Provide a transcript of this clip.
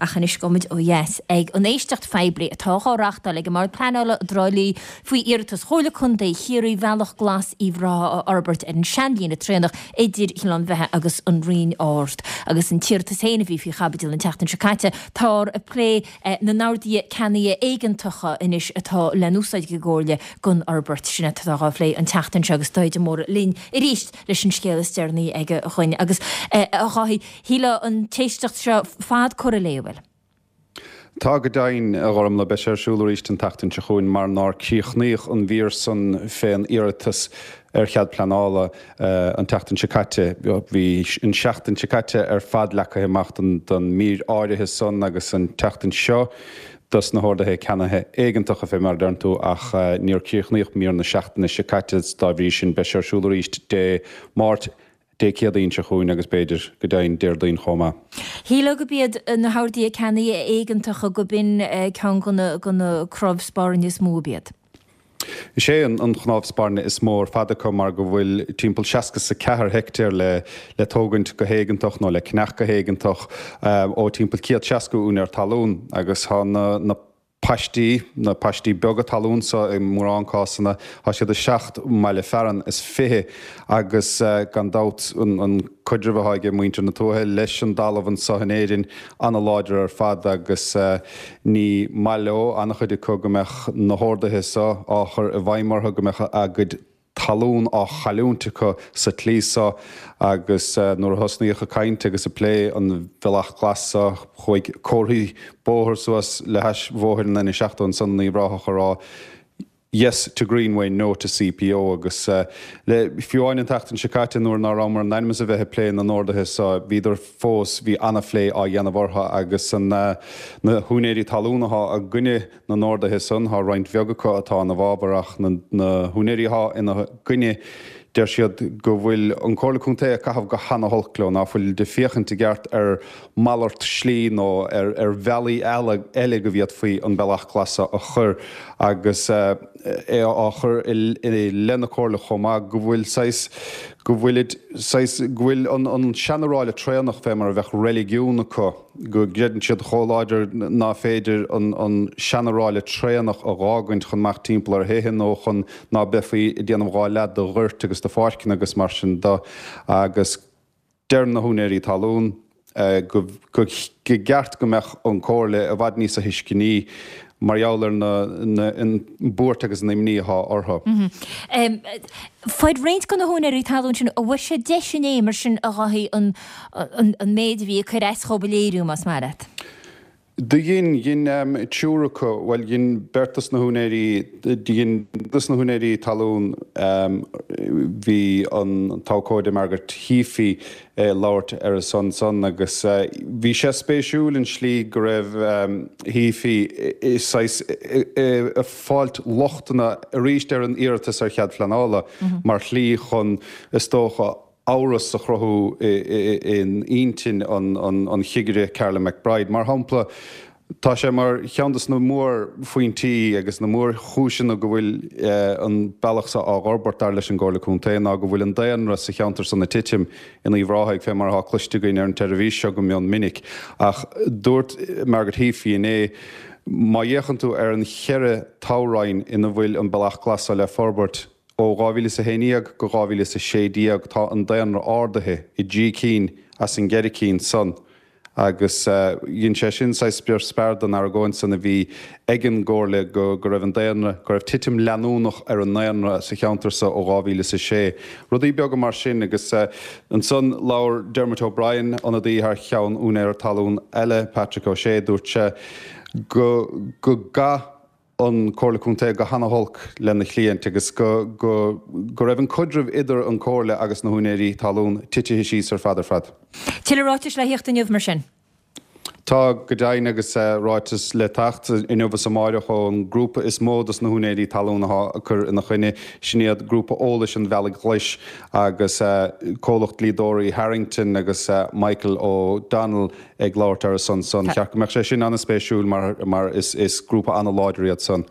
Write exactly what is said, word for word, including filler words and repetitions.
Ach anois gabhfaimid ó dheas ag an éisteacht phoiblí atá á reáchtáil ag an mBord Pleanála i dTrá Lí faoi iarratas Chomhairle Contae Chiarraí Bealach Glas Uíbh Ráthaigh a fhorbairt ar an seanlíne traenach idir Chionn Bheatha agus an Rinn Ard. Agus an t-iarratas féin a bhí faoi chaibidil an tseachtain seo caite, táthar ag plé na n-orduithe ceannaithe éigeantacha anois atá le n-úsáid ag an gComhairle don fhorbairt sin atá á phlé an tseachtain seo agus Dáithí de Mórdha linn arís leis an scéal is deireanaí aige chugainn. Agus a Dháithí, shílfeá an t-éisteacht seo fad curtha léi, an bhfuil? Tá go deimhin, a Ghormlaith, beidh sé ar siúl arís an tseachtain seo chugainn mar nár críochnaíodh an mhír san fén iarratas ar chead pleanála an tseachtain seo caite. Bhí an seachtain seo caite ar fad leagtha amach don don mír áirithe san agus an tseachtain seo dos na horduithe ceannaithe éigeantacha fé mar a deireann tú ach níor críochnaíodh mír na seachtaine seo caite dá bhrí sin beidh sé ar siúl arís Dé Máirt Dé Céadaoin seo chugainn agus b'fhéidir, go deimhin, Déardaoin chomh maith. Shílfeá gurb iad na horduithe ceannaithe éigeantacha go b'in ceann de na cnámh spairne is mó ab iad. Is é an chnámh spairne is mó ar fad acu mar go bhfuil timpeall seasca 's a ceathair heictéar le le tógaint go héigeantach nó le ceannach go héigeantach ó timpeall céad seasca úinéir talún agus tá na paistí, na paistí beaga talún so i mórán cásanna, tá siad i seacht mbaile fearainn is fiche agus gan dabht an caidreamh atá ag muintir na tuaithe leis an dtalamh anso in Éirinn an-láidir ar fad agus ní maith leo, an-chuid acu, go mbeadh na horduithe so á chur i bhfeidhm orthu, go mbeadh a gcuid talún á chailliúint acu sa tslí so agus nuair a thosnaíodh ag caint agus ag plé an Bhealach Glas so chuaigh comharthaí bóthair suas le hais bhóthair an N seachtó ansan in Uíbh Ráthach a rá Yes to Greenway, No to C P O agus le fiú amháin an tseachtain seo caite nuair ná rabhamar in ainm is a bheith ag plé na n-orduithe so bhíodar fós, bhí ana-phlé á dhéanamh orthu agus na húinéirí talún atá i gcoinne na n-orduithe san, tá roinnt bheag acu atá ina bhfabhar ach na húinéirí atá ina gcoinne, deir siad go bhfuil an Comhairle Contae ag caitheamh go hana-holc leo, ná fuil ag féachaint i gceart ar malairt slí nó ar ar bhealaí eile go bhféadfaí an Bealach Glas a chur agus é á chur i leith na Comhairle chomh maith go bhfuil saghas, go bhfuilid saghas, go bhfuil an an seanráille traonach fé mar a bheadh reiligiún acu. Go gcreideann siad chomh láidir ná féidir an seanráille traonach a dh'fhágaint chun imeacht timpeall ar thithe nó chun ná beifí ag déanamh dhá leath de ghoirt agus de pháirceanna agus mar sin de agus deir na húinéirí talún go gceart go mbeadh an Comhairle i bhfad níosa thuisceanaí mar gheall ar na an buairt agus an imní atá orthu. Fuair roinnt de na húinéirí talún sin, an bhfuair siad deis inné mar sin a Dháithí an an méid a bhí ag cur as dhóibh a léiriú, más maith leat? Do dhein, dhein triúr acu, bhuel dhein beirt dos na húinéirí, dhein dos na húinéirí talún, bhí an t-abhcóide Margaret Heaphy ag labhairt ar a son san agus bhí sé spéisiúil an slí go raibh Heaphy saghas ag fáilt lochtanna arís ar an iarratas ar chead phleanála mar shlí chun is dócha amhras a chruthú in intinn an chigire Carolyn McBride. Mar shampla, tá sé mar cheann de na mórphointí agus na mórchúiseanna go bhfuil an bealach seo á fhorbairt dar leis an gComhairle Contae ná go bhfuil an daonra sa cheantar san ag titim in Uíbh Ráthaigh fé mar atá cloiste againn ar an tseirbhís seo go mion minic. Ach dúirt Margaret Heaphy inné, má fhéachann tú ar an cheithre toghroinn ina bhfuil an Bealach Glas seo le forbairt, ó dhá mhíle is a haon déag go dhá mhíle is a sé déag tá an daonra ardaithe i dtrí cinn as an gceithre cinn san agus dhein sé sin saghas spior spear don argóint san a bhí ag an gComhairle go go raibh an daonra, go raibh titim leanúnach ar an ndaonra sa cheantar so ó dhá mhíle is a sé. Rudaí beaga mar sin agus ansan labhair Dermot O'Brien, ionadaí thar cheann úinéara talún eile, Patrick O'Shea, dúirt sé go go gcaith an Comhairle Contae go hana-holc lena chliaint agus go go go raibh an caidreamh idir an Comhairle agus na húinéirí talún titithe síos ar fad ar fad. Tuilleadh ráitis le theacht inniu mar sin? Tá, go deimhin, agus ráiteas le teacht inniu is amáireach ón ngrúpa is mó dos na húinéirí talún atá ag cur ina choinne, sin iad Grúpa Eolais an Bhealaigh Ghlais agus comhlacht dlíodóirí Harrington agus Michael O'Donnell ag labhairt ar a son san. Cheart go mbeadh sé sin an-spéisiúil mar mar is is grúpa an-láidir iad san.